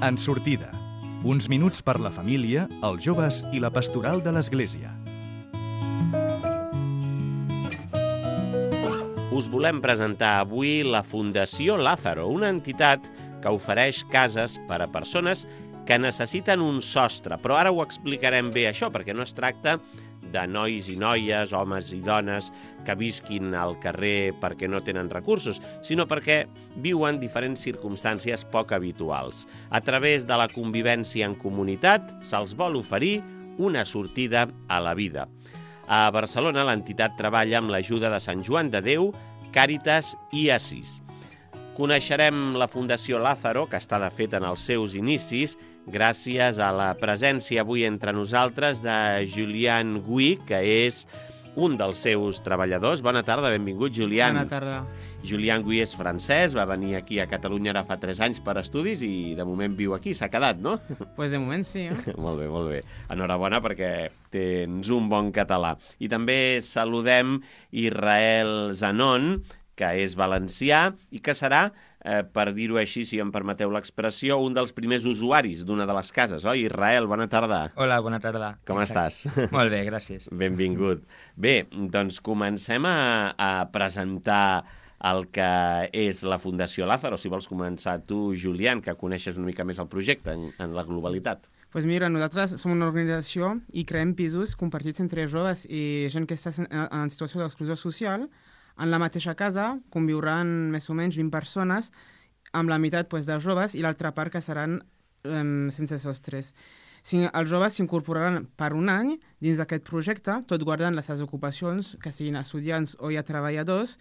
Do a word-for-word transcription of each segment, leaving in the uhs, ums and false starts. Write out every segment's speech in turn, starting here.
En sortida. Uns minuts per la família, els joves i la pastoral de l'Església. Us volem presentar avui la Fundació Lázaro, una entitat que ofereix cases per a persones que necessiten un sostre. Però ara ho explicarem bé, això, perquè no es tracta de nois i noies, homes i dones que visquin al carrer perquè no tenen recursos, sinó perquè viuen diferents circumstàncies poc habituals. A través de la convivència en comunitat se'ls vol oferir una sortida a la vida. A Barcelona l'entitat treballa amb l'ajuda de Sant Joan de Déu, Càritas i Assís. Coneixerem la Fundació Lázaro, que està de fet en els seus inicis, gràcies a la presència avui entre nosaltres de Julian Gui, que és un dels seus treballadors. Bona tarda, benvingut, Julian. Bona tarda. Julian Gui és francès, va venir aquí a Catalunya ara fa tres anys per estudis i de moment viu aquí, s'ha quedat, no? Pues de moment sí, eh? Molt bé, molt bé. Enhorabona perquè tens un bon català. I també saludem Israel Zanon, que és valencià i que serà, eh, per dir-ho així, si em permeteu l'expressió, un dels primers usuaris d'una de les cases, oi? Israel, bona tarda. Hola, bona tarda. Com Exacte. estàs? Molt bé, gràcies. Benvingut. Bé, doncs comencem a, a presentar el que és la Fundació Lázaro. Si vols començar tu, Julián, que coneixes una mica més el projecte en, en la globalitat. Pues mira, nosaltres som una organització i creem pisos compartits entre joves i gent que està en, en situació d'exclusió social. En la mateixa casa conviuran més o menys vint persones, amb la meitat pues, de joves i l'altra part que seran um, sense sostres. Si, els joves s'incorporaran per un any dins d'aquest projecte, tot guardant les seves ocupacions, que siguin estudiants o ja treballadors,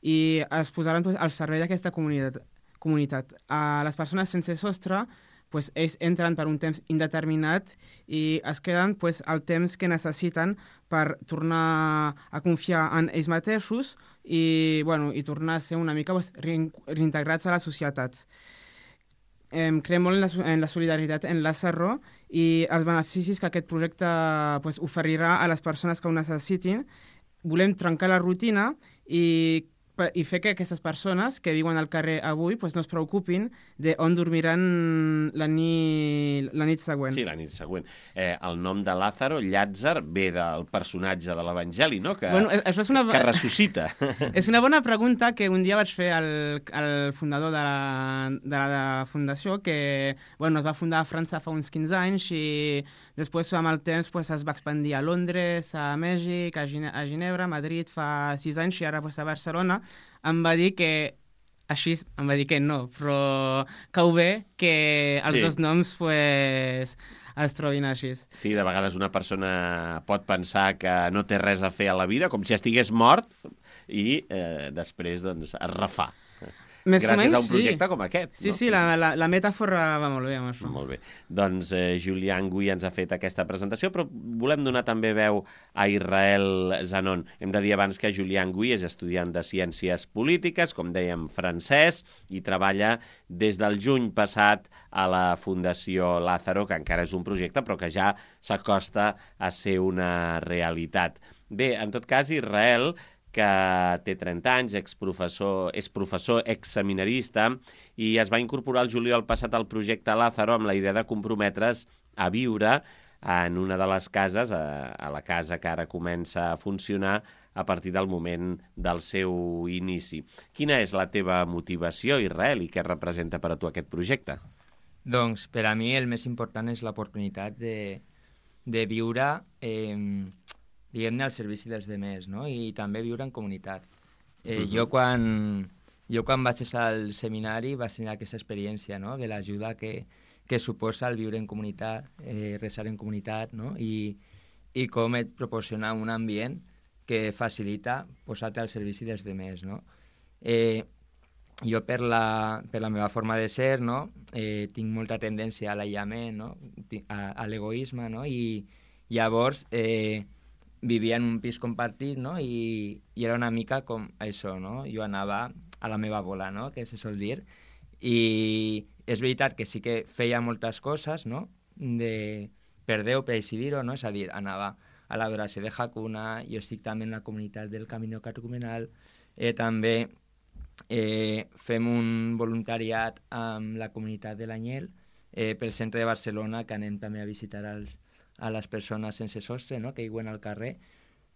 i es posaran pues, al servei d'aquesta comunitat. comunitat. A les persones sense sostre, pues, ells entren per un temps indeterminat i es queden pues, el temps que necessiten per tornar a confiar en ells mateixos i, bueno, i tornar a ser una mica pues, reintegrats a la societat. Eh, creiem molt en la, en la solidaritat en Lázaro i els beneficis que aquest projecte pues, oferirà a les persones que ho necessitin. Volem trencar la rutina i i fer que aquestes persones que viuen al carrer avui pues, no es preocupin d'on dormiran la nit, la nit següent. Sí, la nit següent. Eh, el nom de Lázaro, Llàtzer, ve del personatge de l'Evangeli, no? Que, bueno, això és una... que ressuscita. És una bona pregunta que un dia vaig fer al, al fundador de la, de la fundació, que bueno, es va fundar a França fa uns quinze anys i després, amb el temps, pues, es va expandir a Londres, a Mèxic, a, Gine a Ginebra, a Madrid fa sis anys i ara pues, a Barcelona. Em va dir que, així, em va dir que no, però que ho ve que els sí. dos noms pues, es trobin així. Sí, de vegades una persona pot pensar que no té res a fer a la vida, com si estigués mort, i eh, després doncs, es refà. Més Gràcies o menys, a un projecte sí. com aquest. Sí, no? sí, la, la, la metàfora va molt bé amb això. Molt bé. Doncs eh, Julian Gui ens ha fet aquesta presentació, però volem donar també veu a Israel Zanon. Hem de dir abans que Julian Gui és estudiant de Ciències Polítiques, com dèiem, francès, i treballa des del juny passat a la Fundació Lázaro, que encara és un projecte, però que ja s'acosta a ser una realitat. Bé, en tot cas, Israel, que té trenta anys, exprofessor, és professor exseminarista i es va incorporar el juliol passat al projecte Lázaro amb la idea de comprometre's a viure en una de les cases, a, a la casa que ara comença a funcionar a partir del moment del seu inici. Quina és la teva motivació, Israel, i què representa per a tu aquest projecte? Doncs per a mi el més important és l'oportunitat de, de viure... Eh, diguem-ne, al servici dels demés, no? I també viure en comunitat. Eh, uh-huh. jo, quan, jo quan vaig estar al seminari vaig tenir aquesta experiència, no? De l'ajuda que, que suposa el viure en comunitat, eh, resar en comunitat, no? I, i com et proporciona un ambient que facilita posar-te al servici dels demés, no? Eh, jo, per la, per la meva forma de ser, no? Eh, tinc molta tendència a l'aïllament, no? A, a l'egoisme, no? I llavors... Eh, vivia en un pis compartit, no? I, i era una mica com això, no? Jo anava a la meva bola, no? Que se sol dir. I és veritat que sí que feia moltes coses, no? De, per Déu, per així dir-ho, no? És a dir, anava a l'adoració de Hakuna, jo estic també en la comunitat del Camino Catecumenal, eh, també eh, fem un voluntariat amb la comunitat de l'Anyel, eh, pel centre de Barcelona, que anem també a visitar els, a les persones sense sostre, no? Que viuen al carrer,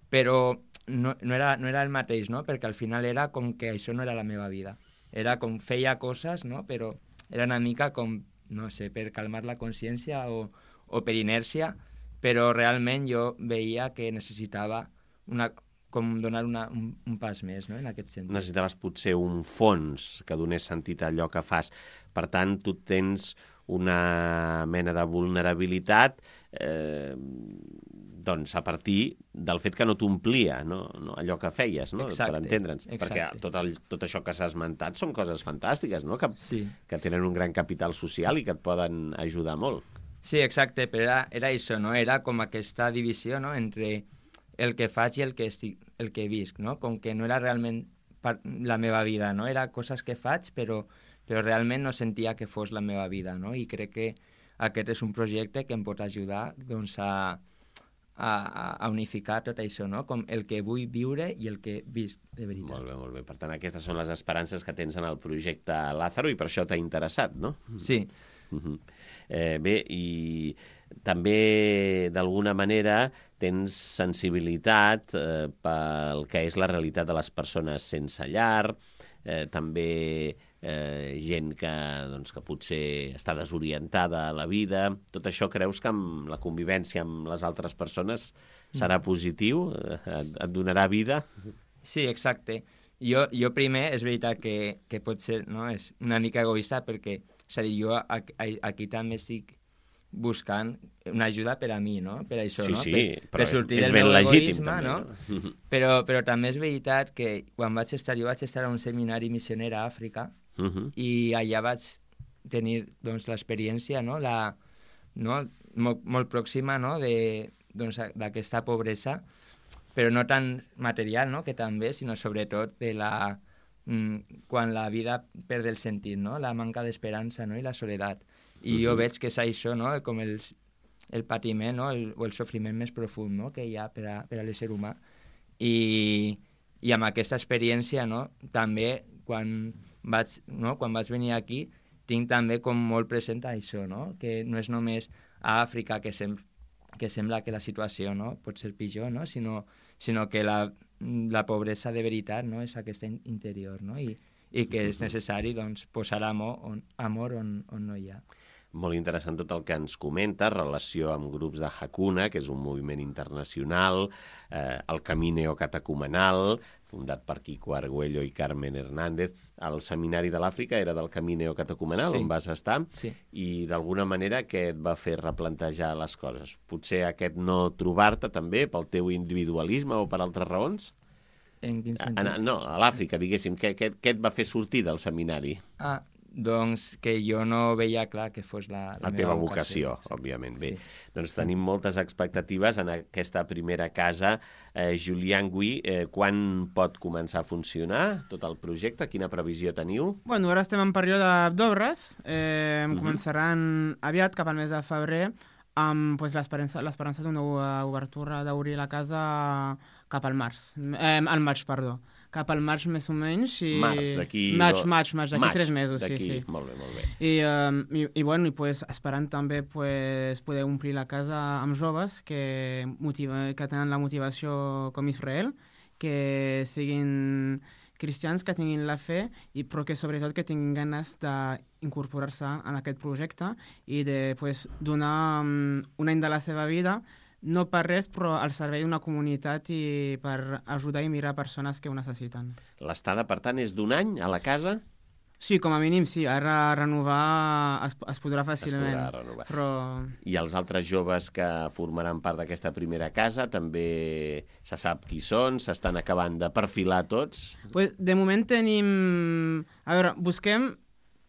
però no, no, era, no era el mateix, no? Perquè al final era com que això no era la meva vida. Era com feia coses, no? Però era una mica com, no sé, per calmar la consciència o, o per inèrcia, però realment jo veia que necessitava una, com donar una, un, un pas més, no? En aquest sentit. Necessitaves potser un fons que donés sentit a allò que fas. Per tant, tu tens una mena de vulnerabilitat eh, doncs a partir del fet que no t'omplia, no? No, allò que feies, no? Exacte, per entendre'ns. exacte. Perquè tot, el, tot això que s'ha esmentat són coses fantàstiques, no? Que, sí. que tenen un gran capital social i que et poden ajudar molt. Sí, exacte, però era, era això, no? Era com aquesta divisió, no? Entre el que faig i el que, estic, el que visc, no? Com que no era realment la meva vida, no? Era coses que faig, però, però realment no sentia que fos la meva vida, no? I crec que aquest és un projecte que em pot ajudar, doncs, a, a, a unificar tot això, no? Com el que vull viure i el que visc de veritat. Molt bé, molt bé. Per tant, aquestes són les esperances que tens en el projecte Lázaro i per això t'ha interessat, no? Sí. Uh-huh. Eh, bé, i també d'alguna manera tens sensibilitat eh, pel que és la realitat de les persones sense llar, eh, també eh, gent que, doncs, que potser està desorientada a la vida. Tot això creus que amb la convivència amb les altres persones serà positiu? Et, et donarà vida? Sí, exacte. Jo, jo primer, és veritat que, que pot ser, no? És una mica egoista perquè, és a dir, jo aquí també estic buscant una ajuda per a mi, no? Per això, sí, no? Sí, per, però per sortir és, és del ben meu legítim, egoisme, també, no? no? Però, però també és veritat que quan vaig estar, jo vaig estar a un seminari missioner a Àfrica uh-huh. i allà vaig tenir, doncs, l'experiència, no? La, no? Molt, molt pròxima, no? De, doncs, d'aquesta pobresa, però no tan material, no? Que també, sinó sobretot de la quan la vida perd el sentit, no? La manca d'esperança, no? I la soledat. I uh-huh. jo veig que és això, no? Com el, el patiment, no? El, o el sofriment més profund, no? Que hi ha per a, per a l'ésser humà. I, i amb aquesta experiència, no? També quan vaig, no? Quan vaig venir aquí tinc també com molt present això, no? Que no és només a Àfrica que, sem que sembla que la situació, no? Pot ser pitjor, no? Sinó, sinó que la la pobresa de veritat, no? És aquesta interior, no? I, i que és necessari, doncs, posar amor on, amor on, on no hi ha. Molt interessant tot el que ens comenta, relació amb grups de Hakuna, que és un moviment internacional, eh, el Camí Neocatecumenal, fundat per Kiko Argüello i Carmen Hernández. El seminari de l'Àfrica era del Camí Neocatecumenal, sí. On vas estar, sí. I d'alguna manera què et va fer replantejar les coses? Potser aquest no trobar-te també pel teu individualisme o per altres raons? En quin sentit? A, no, a l'Àfrica, diguéssim. Què, què, què et va fer sortir del seminari? Ah, doncs que jo no veia clar que fos la, la, la meva teva vocació, vocació, òbviament. Bé, sí. Doncs tenim moltes expectatives en aquesta primera casa. Eh, Julián Gui, eh, quan pot començar a funcionar tot el projecte? Quina previsió teniu? Bueno, ara estem en període d'obres. Eh, Mhm. Començaran aviat, cap al mes de febrer, amb pues, l'esperança d'una obertura d'obrir la casa cap al març. Eh, al maig, perdó. Cap al maig més o menys. I... Març, d'aquí... Maig, maig, maig, d'aquí maig, tres mesos, sí, sí. Molt bé, molt bé. I, um, i, i, bueno, i pues, esperant també pues, poder omplir la casa amb joves que, motiva, que tenen la motivació com Israel, que siguin cristians, que tinguin la fe, i, però que sobretot que tinguin ganes d'incorporar-se en aquest projecte i de pues, donar um, un any de la seva vida, no per res, però al servei d'una comunitat i per ajudar i mirar persones que ho necessiten. L'estada, per tant, és d'un any a la casa? Sí, com a mínim, sí. Ara renovar es, es podrà fàcilment. Es podrà renovar. Però... I els altres joves que formaran part d'aquesta primera casa també se sap qui són? S'estan acabant de perfilar tots? Pues, de moment tenim... A veure, busquem...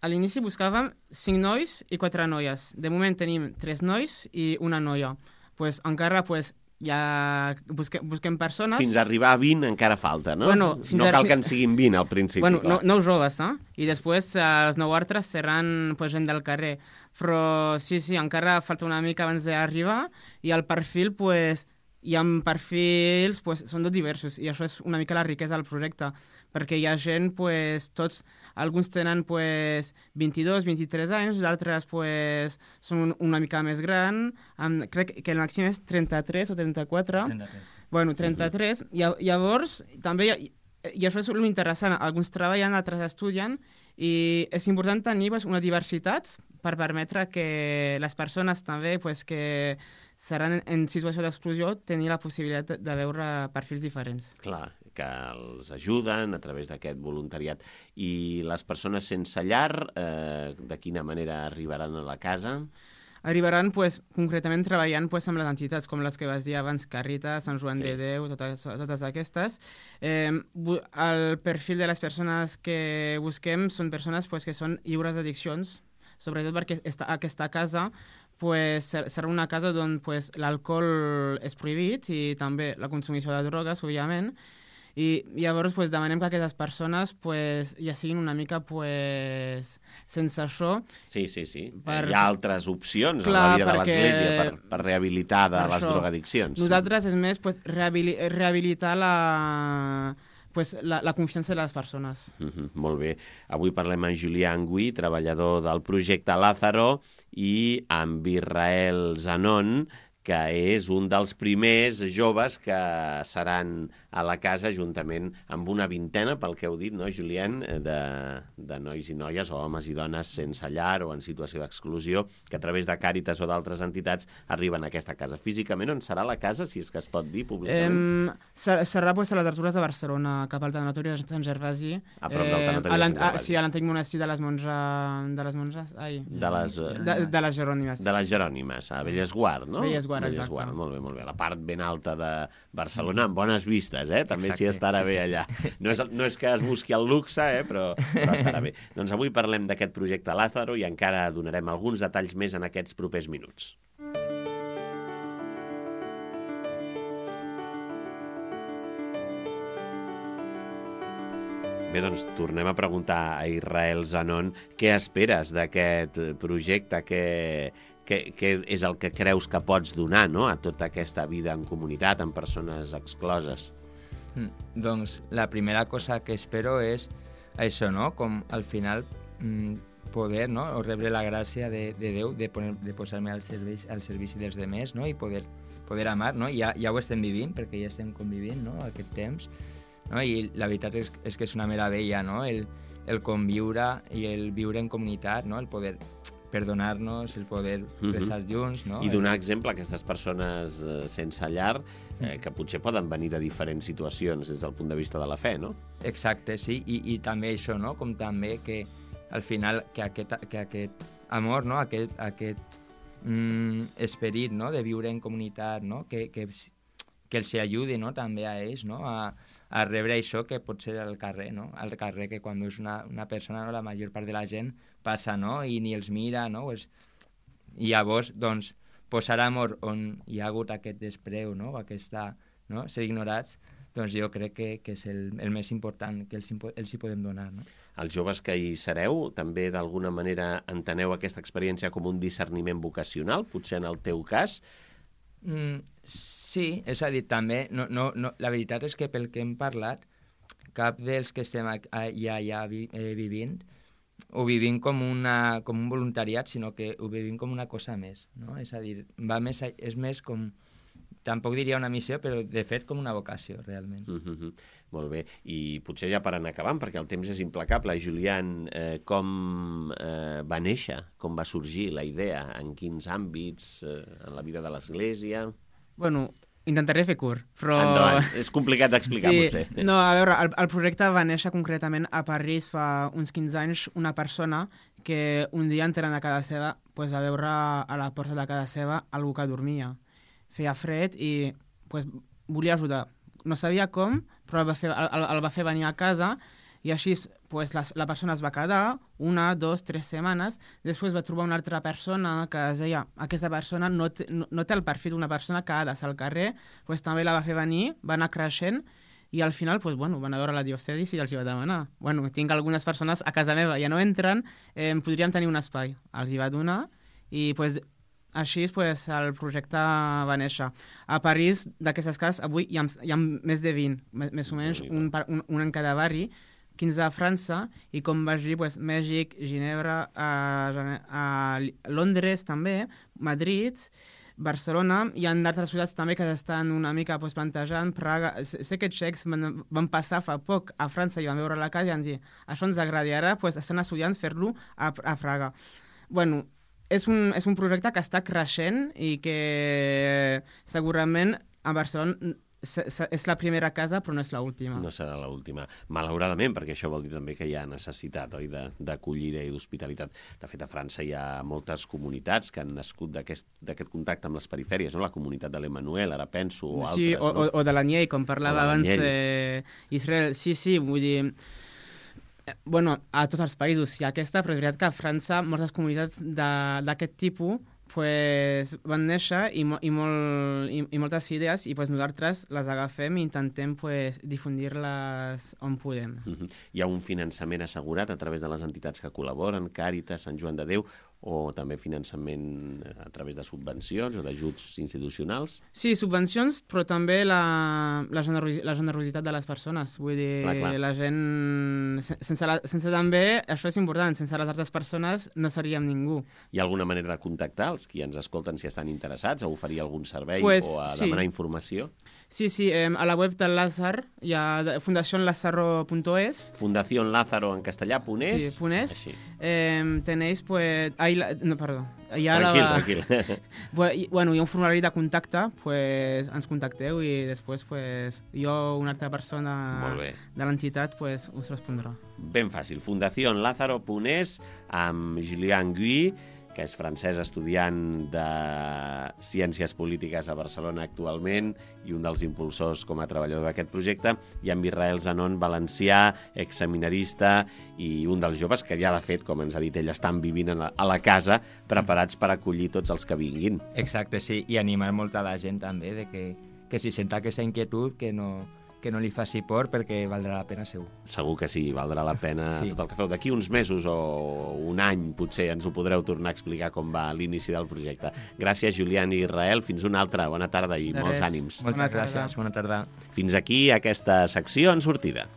A l'inici buscàvem cinc nois i quatre noies. De moment tenim tres nois i una noia. Pues, encara pues, ja busquem, busquem persones... Fins a arribar a vint encara falta, no? Bueno, no a... cal que en siguin vint al principi. Bueno, clar. no, nou joves, no? I després eh, els nou altres seran pues, gent del carrer. Però sí, sí, encara falta una mica abans d'arribar i el perfil, pues, i amb perfils pues, són tots diversos, i això és una mica la riquesa del projecte, perquè hi ha gent, pues, tots, alguns tenen pues, vint-i-dos, vint-i-tres anys, d'altres pues, són un, una mica més gran, amb, crec que el màxim és trenta-tres o trenta-quatre. trenta-tres. Bueno, trenta-tres. Uh-huh. Llavors, també, hi ha, i això és l'interessant, alguns treballen, altres estudien, i és important tenir pues, una diversitat per permetre que les persones també pues, que seran en situació d'exclusió tenir la possibilitat de veure perfils diferents. Clar, que els ajuden a través d'aquest voluntariat. I les persones sense llar, eh, de quina manera arribaran a la casa? Arribaran pues, concretament treballant pues, amb les entitats com les que vas dir abans, Càritas, Sant Joan Sí. de Déu, totes, totes aquestes. Eh, el perfil de les persones que busquem són persones pues, que són lliures d'addiccions, sobretot perquè esta, aquesta casa pues, serà una casa on pues, l'alcohol és prohibit i també la consumició de drogues, òbviament. I llavors pues, demanem que aquestes persones pues, ja siguin una mica pues, sense això. Sí, sí, sí. Per... Hi ha altres opcions Clar, en la vida perquè... de l'Església per, per rehabilitar de per les això. drogadiccions. Nosaltres és més pues, rehabili rehabilitar la, pues, la, la confiança de les persones. Mm-hmm, molt bé. Avui parlem amb Julià Angüí, treballador del projecte Lázaro, i amb Israel Zanon, que és un dels primers joves que seran a la casa juntament amb una vintena, pel que heu dit, no, Julián, de, de nois i noies, o homes i dones sense llar o en situació d'exclusió, que a través de Càritas o d'altres entitats arriben a aquesta casa. Físicament, on serà la casa, si és que es pot dir públicament? Eh, serà serà pues, a les Artures de Barcelona, cap al Tanatori de Sant Gervasi. A prop del Tanatori de Sant Gervasi. Sí, a l'antic monestir de les monges... De les monges... Ai. De les, de, de les Jerònimes. De les Jerònimes, a Bellesguard, no? Bellesguard, Bellesguard, exacte. molt bé, molt bé. La part ben alta de Barcelona, amb bones vistes, eh? També s'hi estarà sí, bé sí, allà. Sí. No, és, no és que es busqui el luxe, eh? però, però estarà bé. Doncs avui parlem d'aquest projecte Lázaro i encara donarem alguns detalls més en aquests propers minuts. Bé, doncs tornem a preguntar a Israel Zanon què esperes d'aquest projecte, què, què, què és el que creus que pots donar, no?, a tota aquesta vida en comunitat, amb persones excloses. Mm, doncs la primera cosa que espero és això, no?, com al final mm, poder, no?, o rebre la gràcia de, de Déu de, poner, de posar-me al servici, al servici dels demés, no?, i poder, poder amar, no?, ja, ja ho estem vivint, perquè ja estem convivint, no?, aquest temps, no? I la veritat és, és que és una meravella, no?, el, el conviure i el viure en comunitat, no?, el poder perdonar-nos, el poder resar junts, no? I donar exemple a aquestes persones eh, sense llar, eh, que potser poden venir de diferents situacions des del punt de vista de la fe, no? Exacte, sí, i, i també això, no?, com també que al final que aquest, que aquest amor, no?, aquest, aquest mm, esperit, no?, de viure en comunitat, no?, que, que, que els ajudi, no?, també a ells, no?, a, a rebre això que pot ser al carrer, no?, al carrer, que quan és una, una persona, no?, la major part de la gent passa, no?, i ni els mira, no?, pues, i llavors, doncs, posar amor on hi ha hagut aquest despreu, no?, aquesta, no?, ser ignorats, doncs jo crec que, que és el, el més important que els, els hi podem donar, no? Els joves que hi sereu, també d'alguna manera enteneu aquesta experiència com un discerniment vocacional, potser en el teu cas? Mm, sí, és a dir, també, no, no, no, la veritat és que pel que hem parlat, cap dels que estem allà, allà vi, eh, vivint, ho vivim com, una, com un voluntariat, sinó que ho vivim com una cosa més, no? És a dir, va més, és més com, tampoc diria una missió, però de fet com una vocació, realment. Mm-hmm. Molt bé, i potser ja per anar acabant, perquè el temps és implacable. Julián, eh, com eh, va néixer, com va sorgir la idea, en quins àmbits, eh, en la vida de l'Església? Bueno, intentaré fer curt, però... Endavant, és complicat d'explicar, sí. potser. No, a veure, el, el projecte va néixer concretament a París fa uns quinze anys, una persona que un dia entrant a casa seva pues, va veure a la porta de casa seva algú que dormia. Feia fred i pues, volia ajudar. No sabia com, però el va fer, el, el va fer venir a casa i així pues, la, la persona es va quedar una, dos, tres setmanes. Després va trobar una altra persona que es deia aquesta persona no té, no, no té el perfil d'una persona que ha de ser al carrer, pues, també la va fer venir, va anar creixent i al final pues, bueno, van a veure la diòcesi i els hi va demanar. Bueno, tinc algunes persones a casa meva, ja no entren, eh, podríem tenir un espai. Els hi va donar i pues, Així pues, el projecte va néixer. A París, d'aquestes cases, avui hi ha, hi ha més de vint, més o menys un, un, un en cada barri, quinze a França, i com vaig dir, pues, Mèxic, Ginebra, a, a Londres també, Madrid, Barcelona, hi ha d'altres ciutats també que estan una mica pues, plantejant, Praga. Sé que txecs van, van passar fa poc a França i van veure la casa i van dir això ens agrada, i ara pues, estan estudiant fer-lo a, a Praga. Bueno, És un, és un projecte que està creixent i que segurament a Barcelona és la primera casa, però no és l'última. No serà l'última. Malauradament, perquè això vol dir també que hi ha necessitat, oi, d'acollida i d'hospitalitat. De fet, a França hi ha moltes comunitats que han nascut d'aquest contacte amb les perifèries, no? La comunitat de l'Emmanuel, ara penso, o sí, altres. O, no? o, o de l'Anyell, com parlava abans eh, Israel. Sí, sí, vull dir... Bueno, a tots els països hi ha aquesta, però és veritat que a França moltes comunitats d'aquest tipus pues, van néixer i, mo i, molt, i, i moltes idees i pues, nosaltres les agafem i intentem pues, difundir-les on podem. Mm-hmm. Hi ha un finançament assegurat a través de les entitats que col·laboren, Càritas, Sant Joan de Déu, o també finançament a través de subvencions o d'ajuts institucionals? Sí, subvencions, però també la, la, generosi la generositat de les persones. Vull dir, clar, clar. La gent... Sense, la, sense també, això és important, sense les altres persones no seríem ningú. Hi ha alguna manera de contactar els qui ens escolten si estan interessats, a oferir algun servei pues, o a sí. demanar informació? Sí, sí, eh, a la web del Lázaro hi ha fundación lázaro punto es. Fundación Lázaro en castellà, punt es. Sí, punt es. Eh, tenéis, pues... Ahí la... No, perdó. Ja tranquil, la... tranquil. Bueno, hi ha un formulari de contacte, pues, ens contacteu i després pues, jo o una altra persona de l'entitat pues, us respondrà. Ben fàcil. Fundación Lázaro punt es amb Julian Gui, que és francès, estudiant de Ciències Polítiques a Barcelona actualment i un dels impulsors com a treballador d'aquest projecte, i amb Israel Zanon, valencià, exseminarista i un dels joves que ja, de fet, com ens ha dit ell, estan vivint a la, a la casa preparats per acollir tots els que vinguin. Exacte, sí, i animar molta la gent també de que, que si senta aquesta inquietud que no... que no li faci por perquè valdrà la pena segur. Segur que sí, valdrà la pena sí. Tot el que feu. D'aquí uns mesos o un any potser ens ho podreu tornar a explicar com va l'inici del projecte. Gràcies, Julián i Israel. Fins una altra. Bona tarda i molts ànims. Moltes gràcies. Bona tarda. Fins aquí aquesta secció en sortida.